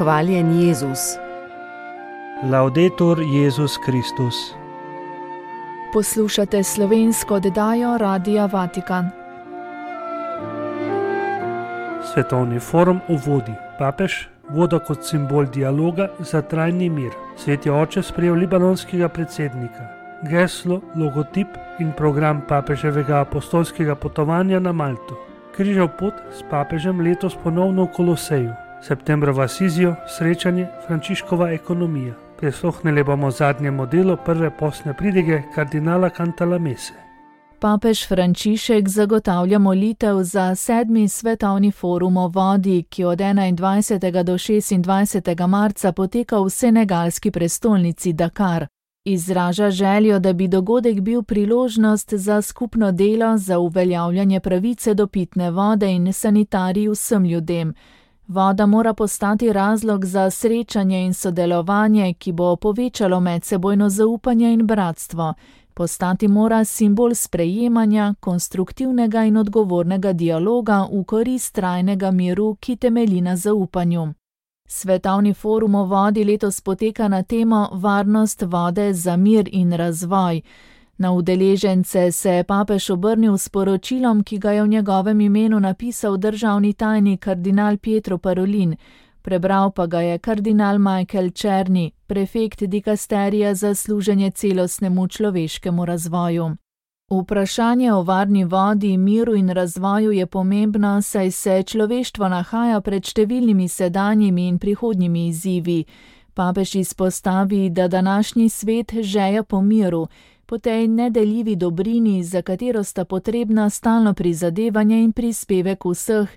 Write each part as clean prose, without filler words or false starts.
Hvaljen Jezus. Laudetur Jezus Kristus. Poslušate slovensko oddajo Radia Vatikan. Svetovni forum uvodi. Papež, voda kot simbol dialoga za trajni mir. Sveti oče sprejel libanonskega predsednika. Geslo, logotip in program papeževega apostolskega potovanja na Malto. Križav pot s papežem letos ponovno v Koloseju. Septembra v Asizijo srečanje Frančiškova ekonomija. Prisluhnili bomo zadnjemu delu prve postne pridige kardinala Cantalamesse. Papež Frančišek zagotavlja molitev za 7. svetovni forum o vodi, ki od 21. do 26. marca poteka v senegalski prestolnici Dakar. Izraža željo, da bi dogodek bil priložnost za skupno delo za uveljavljanje pravice do pitne vode in sanitarij vsem ljudem. Voda mora postati razlog za srečanje in sodelovanje, ki bo povečalo medsebojno zaupanje in bratstvo. Postati mora simbol sprejemanja, konstruktivnega in odgovornega dialoga v korist trajnega miru, ki temelji na zaupanju. Svetovni forum o vodi letos poteka na temo Varnost vode za mir in razvoj. Na udeležence se je papež obrnil s poročilom, ki ga je v njegovem imenu napisal državni tajnik kardinal Pietro Parolin. Prebral pa ga je kardinal Michael Czerny, prefekt dikasterija za služenje celostnemu človeškemu razvoju. Vprašanje o varni vodi, miru in razvoju je pomembno, saj se človeštvo nahaja pred številnimi sedanjimi in prihodnjimi izzivi. Papež izpostavi, da današnji svet žeja po miru, po tej nedeljivi dobrini, za katero sta potrebna stalno prizadevanje in prispevek vseh,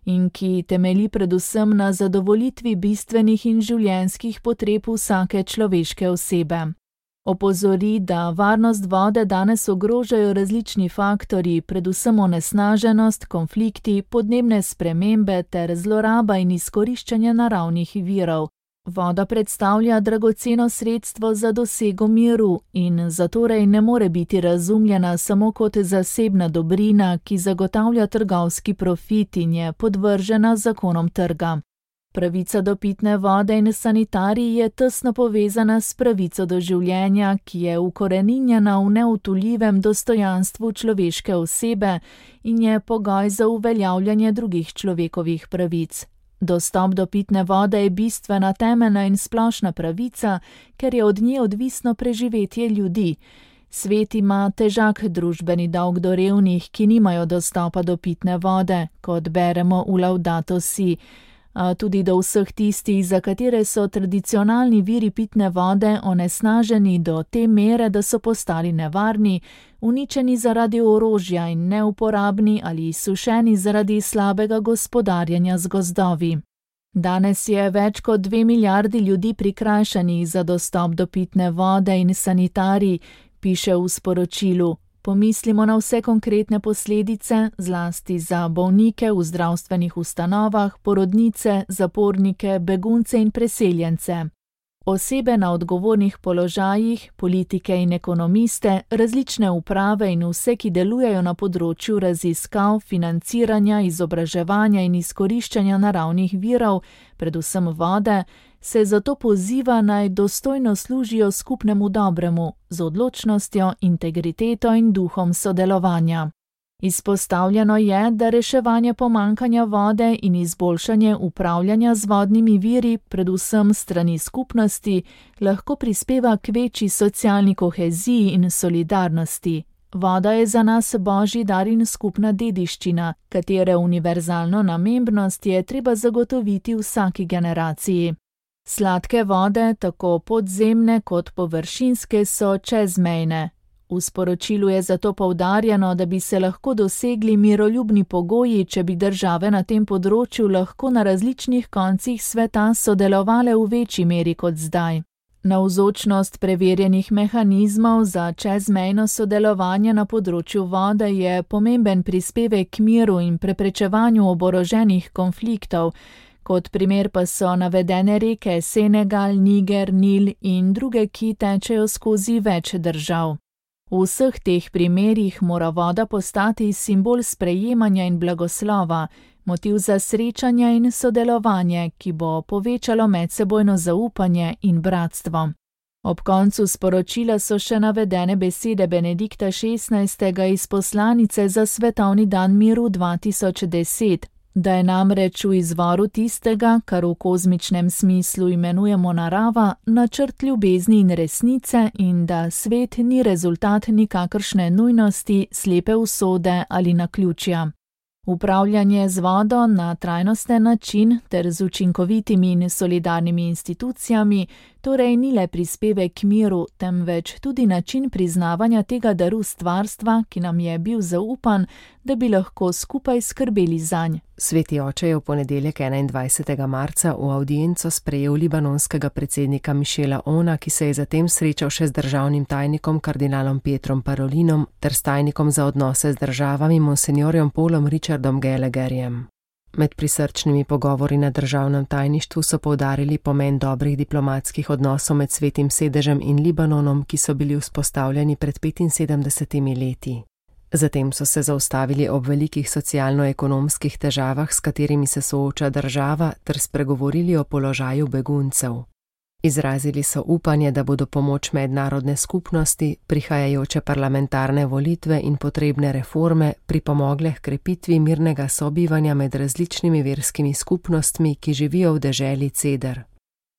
in ki temelji predvsem na zadovoljitvi bistvenih in življenjskih potreb vsake človeške osebe. Opozori, da varnost vode danes ogrožajo različni faktorji, predvsem onesnaženost, konflikti, podnebne spremembe ter zloraba in izkoriščanje naravnih virov. Voda predstavlja dragoceno sredstvo za dosego miru in zatorej ne more biti razumljena samo kot zasebna dobrina, ki zagotavlja trgovski profit in je podvržena zakonom trga. Pravica do pitne vode in sanitarij je tesno povezana s pravico do življenja, ki je ukoreninjena v neutujljivem dostojanstvu človeške osebe in je pogoj za uveljavljanje drugih človekovih pravic. Dostop do pitne vode je bistvena, temeljna in splošna pravica, ker je od nje odvisno preživetje ljudi. Svet ima težak družbeni dolg do revnih, ki nimajo dostopa do pitne vode, kot beremo v Laudato Si, a tudi do vseh tistih, za katere so tradicionalni viri pitne vode onesnaženi do te mere, da so postali nevarni, uničeni zaradi orožja in neuporabni ali izsušeni zaradi slabega gospodarjenja z gozdovi. Danes je več kot 2 milijardi ljudi prikrajšanih za dostop do pitne vode in sanitarij, piše v sporočilu. Pomislimo na vse konkretne posledice, zlasti za bolnike v zdravstvenih ustanovah, porodnice, zapornike, begunce in preseljence. Osebe na odgovornih položajih, politike in ekonomiste, različne uprave in vse, ki delujejo na področju raziskav, financiranja, izobraževanja in izkoriščanja naravnih virov, predvsem vode, se zato poziva naj dostojno služijo skupnemu dobremu, z odločnostjo, integriteto in duhom sodelovanja. Izpostavljeno je, da reševanje pomanjkanja vode in izboljšanje upravljanja z vodnimi viri, predvsem strani skupnosti, lahko prispeva k večji socialni koheziji in solidarnosti. Voda je za nas božji dar in skupna dediščina, katere univerzalno namembnost je treba zagotoviti vsaki generaciji. Sladke vode, tako podzemne kot površinske, so čezmejne. V sporočilu je zato poudarjeno, da bi se lahko dosegli miroljubni pogoji, če bi države na tem področju lahko na različnih koncih sveta sodelovale v večji meri kot zdaj. Navzočnost preverjenih mehanizmov za čezmejno sodelovanje na področju vode je pomemben prispevek k miru in preprečevanju oboroženih konfliktov, kot primer pa so navedene reke Senegal, Niger, Nil in druge, ki tečejo skozi več držav. V vseh teh primerih mora voda postati simbol sprejemanja in blagoslova, motiv za srečanja in sodelovanje, ki bo povečalo medsebojno zaupanje in bratstvo. Ob koncu sporočila so še navedene besede Benedikta XVI. Iz poslanice za Svetovni dan miru 2010, da je namreč v izvoru tistega, kar v kozmičnem smislu imenujemo narava, načrt ljubezni in resnice in da svet ni rezultat nikakršne nujnosti, slepe usode ali naključja. Upravljanje z vodo na trajnosten način ter z učinkovitimi in solidarnimi institucijami torej ni le prispevek k miru, temveč tudi način priznavanja tega daru stvarstva, ki nam je bil zaupan, da bi lahko skupaj skrbeli zanj. Sveti oče je v ponedeljek 21. marca v avdienco sprejel libanonskega predsednika Michela Aouna, ki se je zatem srečal še z državnim tajnikom kardinalom Pietrom Parolinom ter s tajnikom za odnose z državami monsignorjem Paulom Richardom Gallagherjem. Med prisrčnimi pogovori na državnem tajništvu so poudarili pomen dobrih diplomatskih odnosov med Svetim sedežem in Libanonom, ki so bili vzpostavljeni pred 75 leti. Zatem so se zaustavili ob velikih socialno-ekonomskih težavah, s katerimi se sooča država, ter spregovorili o položaju beguncev. Izrazili so upanje, da bodo pomoč mednarodne skupnosti, prihajajoče parlamentarne volitve in potrebne reforme pripomogle h krepitvi mirnega sobivanja med različnimi verskimi skupnostmi, ki živijo v deželi Ceder.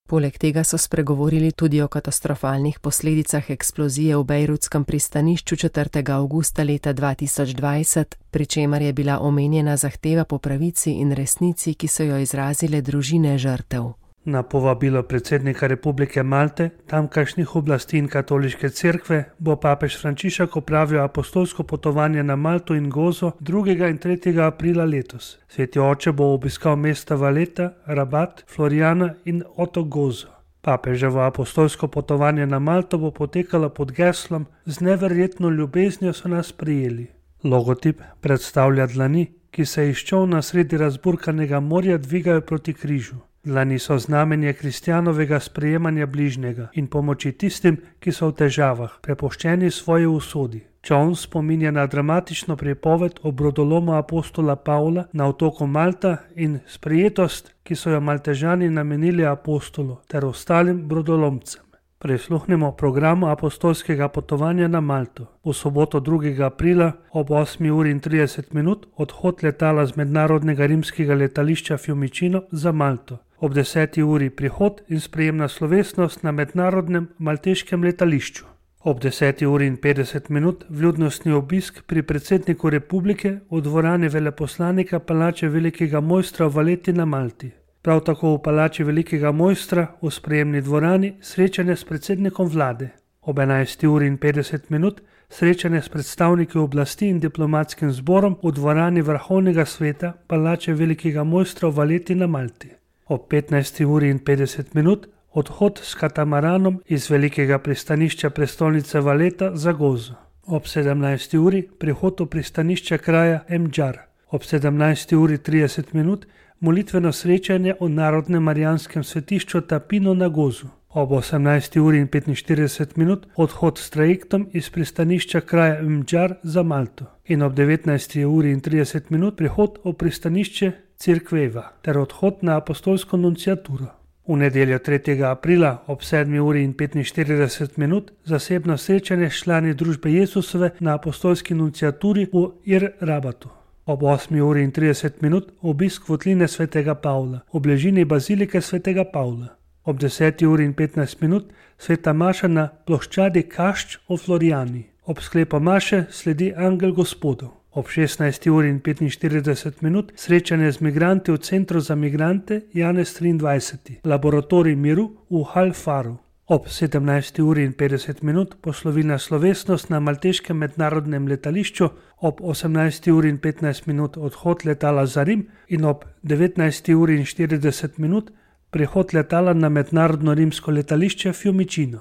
Poleg tega so spregovorili tudi o katastrofalnih posledicah eksplozije v bejrutskem pristanišču 4. avgusta leta 2020, pri čemer je bila omenjena zahteva po pravici in resnici, ki so jo izrazile družine žrtev. Na povabilo predsednika Republike Malte, tamkajšnjih oblasti in katoliške cerkve bo papež Frančišek opravil apostolsko potovanje na Malto in Gozo 2. in 3. aprila letos. Sveti oče bo obiskal mesta Valeta, Rabat, Floriana in otok Gozo. Papeževo apostolsko potovanje na Malto bo potekalo pod geslom "Z neverjetno ljubeznijo so nas prijeli". Logotip predstavlja dlani, ki se iz čolna sredi razburkanega morja dvigajo proti križu. Dlani so znamenje kristjanovega sprejemanja bližnjega in pomoči tistim, ki so v težavah, prepuščeni svoji usodi. Čoln spominja na dramatično pripoved o brodolomu apostola Pavla na otoku Malta in sprejetost, ki so jo Maltežani namenili apostolu ter ostalim brodolomcem. Prisluhnemo programu apostolskega potovanja na Malto. V soboto 2. aprila ob 8:30 odhod letala z mednarodnega rimskega letališča Fiumicino za Malto. Ob 10. uri prihod in sprejemna slovesnost na mednarodnem malteškem letališču. Ob 10:50 vljudnostni obisk pri predsedniku republike v dvorani veleposlanika Palače velikega mojstra v Valeti na Malti. Prav tako v Palači velikega mojstra v sprejemni dvorani srečanje s predsednikom vlade. Ob 11:50 srečanje s predstavniki oblasti in diplomatskim zborom v dvorani vrhovnega sveta Palače velikega mojstra v Valeti na Malti. Ob 15:50 odhod s katamaranom iz velikega pristanišča prestolnice Valeta za Gozo. Ob 17. uri prihod v pristanišče kraja Mdžar. Ob 17:30 molitveno srečanje v Narodnem marijanskem svetišču Tapino na Gozu. Ob 18:45 odhod s trajektom iz pristanišča kraja Mdžar za Malto. In ob 19:30 prihod v pristanišče Cirkveva ter odhod na apostolsko nunciaturo. V nedeljo 3. aprila ob 7:45 zasebno srečanje s člani družbe Jezusove na apostolski nunciaturi v Ir-Rabatu. Ob 8:30 obisk votline svetega Pavla v bližini bazilike svetega Pavla. Ob 10:15 sveta maša na ploščadi Kašč v Florijani. Ob sklepu maše sledi angel Gospodov. Ob 16:45 srečanje z migranti v Centru za migrante Janez 23, laboratorij miru v Hal-Faru. Ob 17:50 poslovilna slovesnost na malteškem mednarodnem letališču, ob 18:15 odhod letala za Rim in ob 19:40 prihod letala na mednarodno rimsko letališče Fiumicino.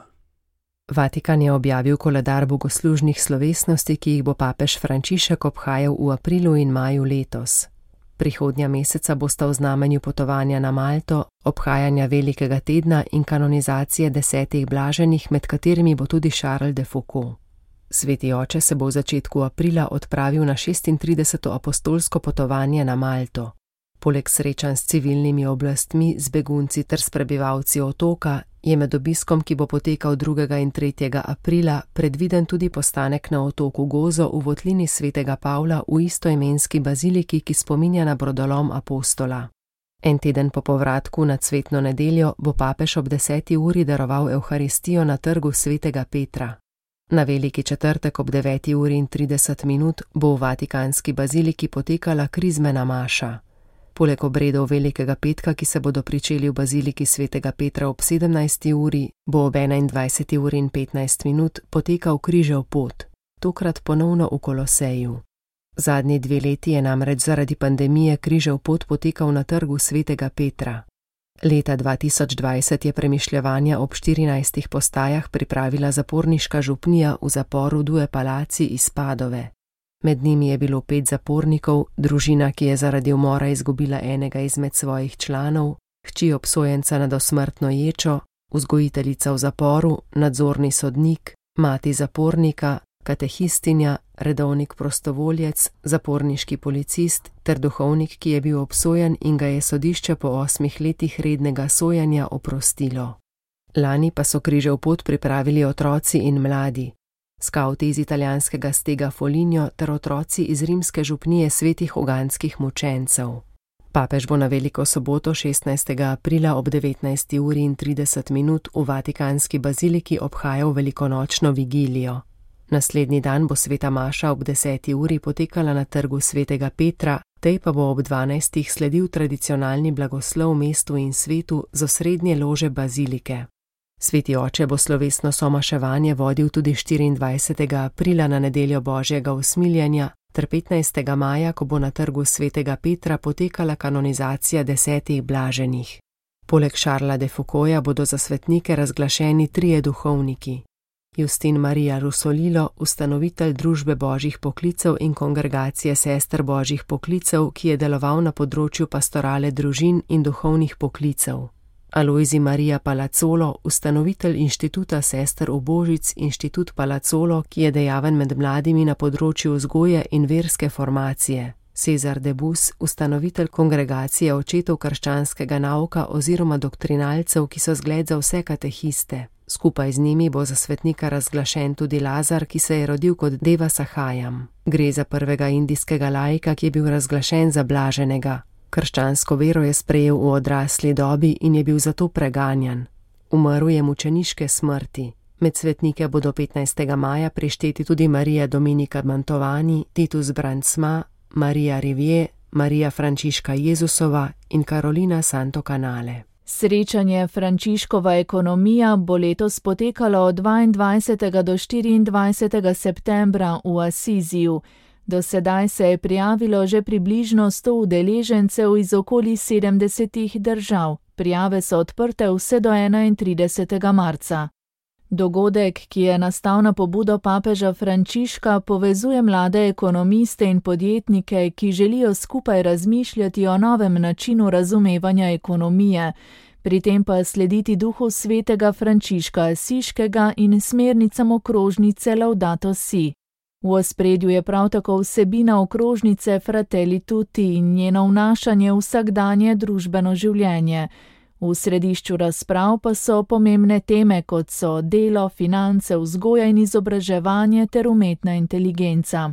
Vatikan je objavil koledar bogoslužnih slovesnosti, ki jih bo papež Frančišek obhajal v aprilu in maju letos. Prihodnja meseca bosta v znamenju potovanja na Malto, obhajanja velikega tedna in kanonizacije 10 blaženih, med katerimi bo tudi Charles de Foucault. Sveti oče se bo v začetku aprila odpravil na 36. apostolsko potovanje na Malto. Poleg srečanj s civilnimi oblastmi, z begunci ter s prebivalci otoka, je med obiskom, ki bo potekal 2. in 3. aprila, predviden tudi postanek na otoku Gozo v votlini svetega Pavla v istoimenski baziliki, ki spominja na brodolom Apostola. En teden po povratku na cvetno nedeljo bo papež ob 10. uri daroval evharistijo na trgu svetega Petra. Na veliki četrtek ob 9:30 bo v vatikanski baziliki potekala krizmena maša. Poleg obredov velikega petka, ki se bodo pričeli v baziliki svetega Petra ob 17. uri, bo ob 21:15 potekal križev pot, tokrat ponovno v Koloseju. Zadnji 2 leti je namreč zaradi pandemije križev pot potekal na trgu svetega Petra. Leta 2020 je premišljevanja ob 14 postajah pripravila zaporniška župnija v zaporu Due Palaci iz Padove. Med njimi je bilo 5 zapornikov, družina, ki je zaradi umora izgubila enega izmed svojih članov, hči obsojenca na dosmrtno ječo, vzgojiteljica v zaporu, nadzorni sodnik, mati zapornika, katehistinja, redovnik prostovoljec, zaporniški policist ter duhovnik, ki je bil obsojen in ga je sodišče po 8 letih rednega sojenja oprostilo. Lani pa so križev pot pripravili otroci in mladi. Skavti iz italijanskega stega Foligno ter otroci iz rimske župnije svetih uganskih mučencev. Papež bo na veliko soboto 16. aprila ob 19:30 v vatikanski baziliki obhajal velikonočno vigilijo. Naslednji dan bo sveta maša ob 10. uri potekala na trgu svetega Petra, tej pa bo ob 12. sledil tradicionalni blagoslov mestu in svetu z osrednje lože bazilike. Sveti oče bo slovesno somaševanje vodil tudi 24. aprila na nedeljo Božjega usmiljenja ter 15. maja, ko bo na trgu svetega Petra potekala kanonizacija 10 blaženih. Poleg Šarla de Foucaulta bodo za svetnike razglašeni 3 duhovniki. Justin Maria Rusolilo, ustanovitelj Družbe božjih poklicev in kongregacije sester božjih poklicev, ki je deloval na področju pastorale družin in duhovnih poklicev. Alojzij Maria Palazzolo, ustanovitelj inštituta sester Ubožic, inštitut Palazzolo, ki je dejaven med mladimi na področju vzgoje in verske formacije. Cezar de Bus, ustanovitelj kongregacije očetov krščanskega nauka oziroma doktrinalcev, ki so zgled za vse katehiste. Skupaj z njimi bo za svetnika razglašen tudi Lazar, ki se je rodil kot Deva Sahajam. Gre za prvega indijskega laika, ki je bil razglašen za blaženega. Krščansko vero je sprejel v odrasli dobi in je bil zato preganjan. Umrl je mučeniške smrti. Med svetnike bodo 15. maja prišteti tudi Marija Dominika Mantovani, Titus Brandsma, Marija Rivier, Marija Frančiška Jezusova in Karolina Santo Canale. Srečanje Frančiškova ekonomija bo letos potekalo od 22. do 24. septembra v Asiziju. Do sedaj se je prijavilo že približno 100 udeležencev iz okoli 70 držav. Prijave so odprte vse do 31. marca. Dogodek, ki je nastal na pobudo papeža Frančiška, povezuje mlade ekonomiste in podjetnike, ki želijo skupaj razmišljati o novem načinu razumevanja ekonomije, pri tem pa slediti duhu svetega Frančiška Asiškega in smernicam okrožnice Laudato Si. V ospredju je prav tako vsebina okrožnice Fratelli Tutti in njeno vnašanje v vsakdanje družbeno življenje. V središču razprav pa so pomembne teme, kot so delo, finance, vzgoja in izobraževanje ter umetna inteligenca.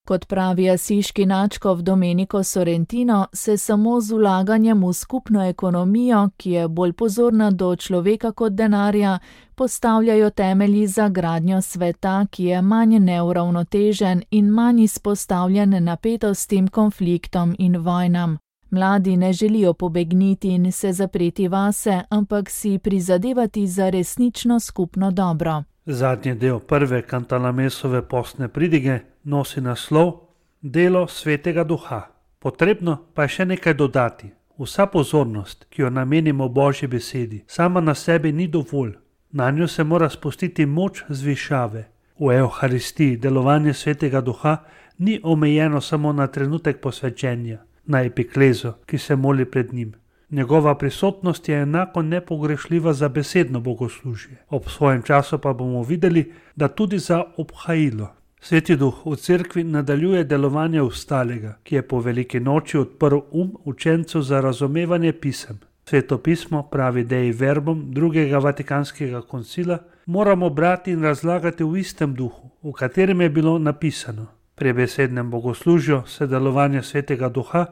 Kot pravi asiški nadškof Domenico Sorrentino, se samo z vlaganjem v skupno ekonomijo, ki je bolj pozorna do človeka kot denarja, postavljajo temelji za gradnjo sveta, ki je manj neuravnotežen in manj izpostavljen napetostim, konfliktom in vojnam. Mladi ne želijo pobegniti in se zapreti vase, ampak si prizadevati za resnično skupno dobro. Zadnji del prve Cantalamessove postne pridige nosi naslov Delo svetega duha. Potrebno pa je še nekaj dodati. Vsa pozornost, ki jo namenimo Božji besedi, sama na sebi ni dovolj. Na njo se mora spustiti moč zvišave. V Evharistiji delovanje svetega duha ni omejeno samo na trenutek posvečenja, na epiklezo, ki se moli pred njim. Njegova prisotnost je enako nepogrešljiva za besedno bogoslužje. Ob svojem času pa bomo videli, da tudi za obhajilo. Sveti Duh v cerkvi nadaljuje delovanje ostalega, ki je po veliki noči odprl učencev za razumevanje pisem. Sveto pismo, pravi Dei Verbum drugega Vatikanskega koncila, moramo brati in razlagati v istem duhu, v katerem je bilo napisano. Pri besednem bogoslužju se delovanje Svetega Duha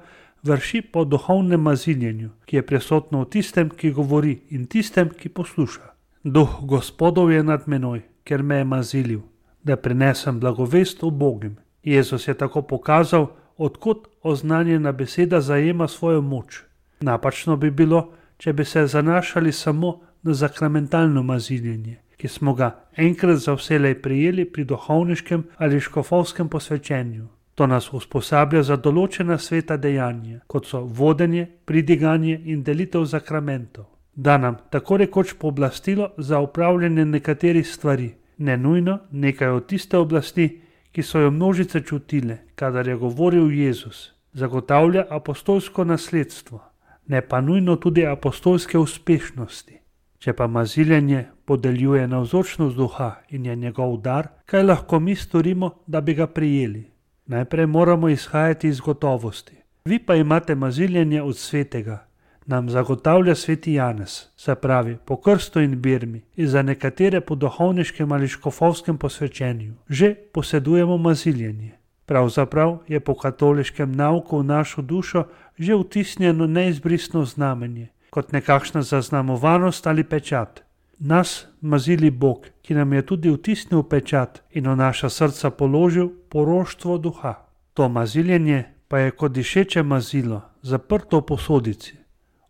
vrši po duhovnem maziljenju, ki je prisotno v tistem, ki govori, in tistem, ki posluša. Duh Gospodov je nad menoj, ker me je mazilil, da prinesem blagovest ubogim. Jezus je tako pokazal, odkot oznanjena beseda zajema svojo moč. Napačno bi bilo, če bi se zanašali samo na sakramentalno maziljenje, ki smo ga enkrat za vselej prijeli pri duhovniškem ali škofovskem posvečenju. To nas usposablja za določena sveta dejanja, kot so vodenje, pridiganje in delitev sakramentov. Da nam tako rekoč pooblastilo za upravljanje nekaterih stvari, ne nujno nekaj od tiste oblasti, ki so jo množice čutile, kadar je govoril Jezus, zagotavlja apostolsko nasledstvo, ne pa nujno tudi apostolske uspešnosti. Če pa maziljenje podeljuje navzočnost duha in je njegov dar, kaj lahko mi storimo, da bi ga prijeli? Najprej moramo izhajati iz gotovosti. Vi pa imate maziljenje od svetega, nam zagotavlja sveti Janez, se pravi po krstu in birmi in za nekatere po duhovniškem ali škofovskem posvečenju. Že posedujemo maziljenje. Pravzaprav je po katoliškem nauku v našo dušo že vtisnjeno neizbrisno znamenje, kot nekakšna zaznamovanost ali pečat. Nas mazili Bog, ki nam je tudi vtisnil pečat in v naša srca položil poroštvo duha. To maziljenje pa je kot dišeče mazilo, zaprto v posodici.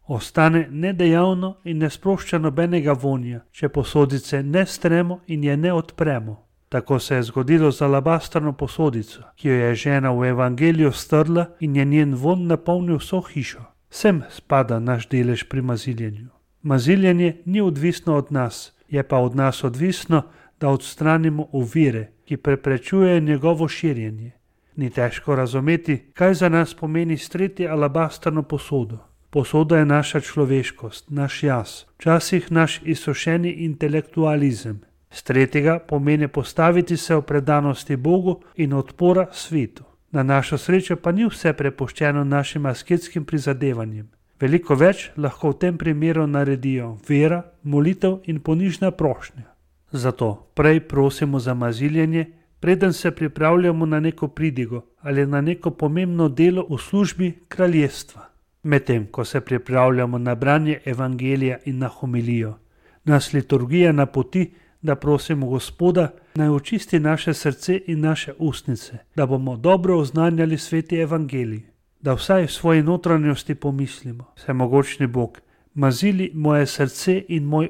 Ostane nedejavno in ne sprošča nobenega vonja, če posodice ne stremo in je ne odpremo. Tako se je zgodilo z alabastrno posodico, ki jo je žena v evangeliju strla in je njen von napolnil vso hišo. Sem spada naš delež pri maziljenju. Maziljenje ni odvisno od nas, je pa od nas odvisno, da odstranimo ovire, ki preprečujejo njegovo širjenje. Ni težko razumeti, kaj za nas pomeni streti alabastrno posodo. Posoda je naša človeškost, naš jaz, včasih naš izsušeni intelektualizem. Stretega pomeni postaviti se v predanosti Bogu in odpora svetu. Na našo srečo pa ni vse prepuščeno našim asketskim prizadevanjem. Veliko več lahko v tem primeru naredijo vera, molitev in ponižna prošnja. Zato prej prosimo za maziljenje, preden se pripravljamo na neko pridigo ali na neko pomembno delo v službi kraljestva. Medtem, ko se pripravljamo na branje evangelija in na homilijo, nas liturgija napoti, da prosimo Gospoda, naj očisti naše srce in naše ustnice, da bomo dobro oznanjali sveti evangelij, da vsaj v svoji notranjosti pomislimo: Vsemogočni Bog, mazili moje srce in moj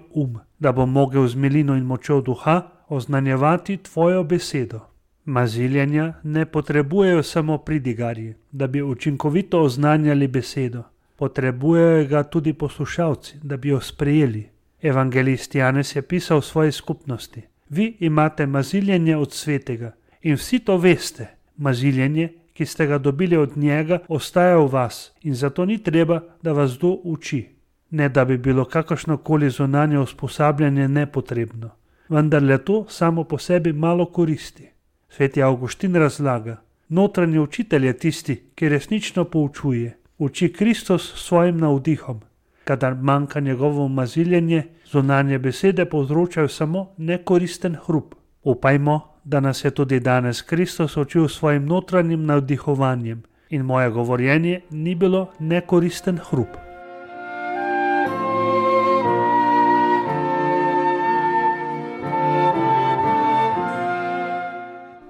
da bom mogel z milino in močjo duha oznanjevati tvojo besedo. Maziljenja ne potrebujejo samo pridigarji, da bi učinkovito oznanjali besedo, potrebujejo ga tudi poslušalci, da bi jo sprejeli. Evangelist Janez je pisal v svoji skupnosti: Vi imate maziljenje od svetega in vsi to veste. Maziljenje, ki ste ga dobili od njega, ostaja v vas in zato ni treba, da vas kdo uči. Ne da bi bilo kakršnokoli zunanje usposabljanje nepotrebno, vendar le to samo po sebi malo koristi. Sveti Avguštin razlaga: Notranji učitelj je tisti, ki resnično poučuje. Uči Kristus s svojim navdihom. Kadar manjka njegovo maziljenje, zunanje besede povzročajo samo nekoristen hrup. Upajmo, da nas je tudi danes Kristus učil svojim notranjim navdihovanjem in moje govorjenje ni bilo nekoristen hrup.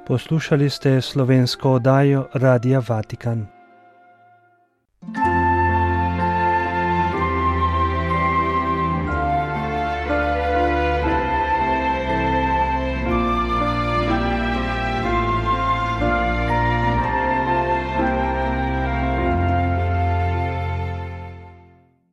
Poslušali ste slovensko oddajo Radia Vatikan.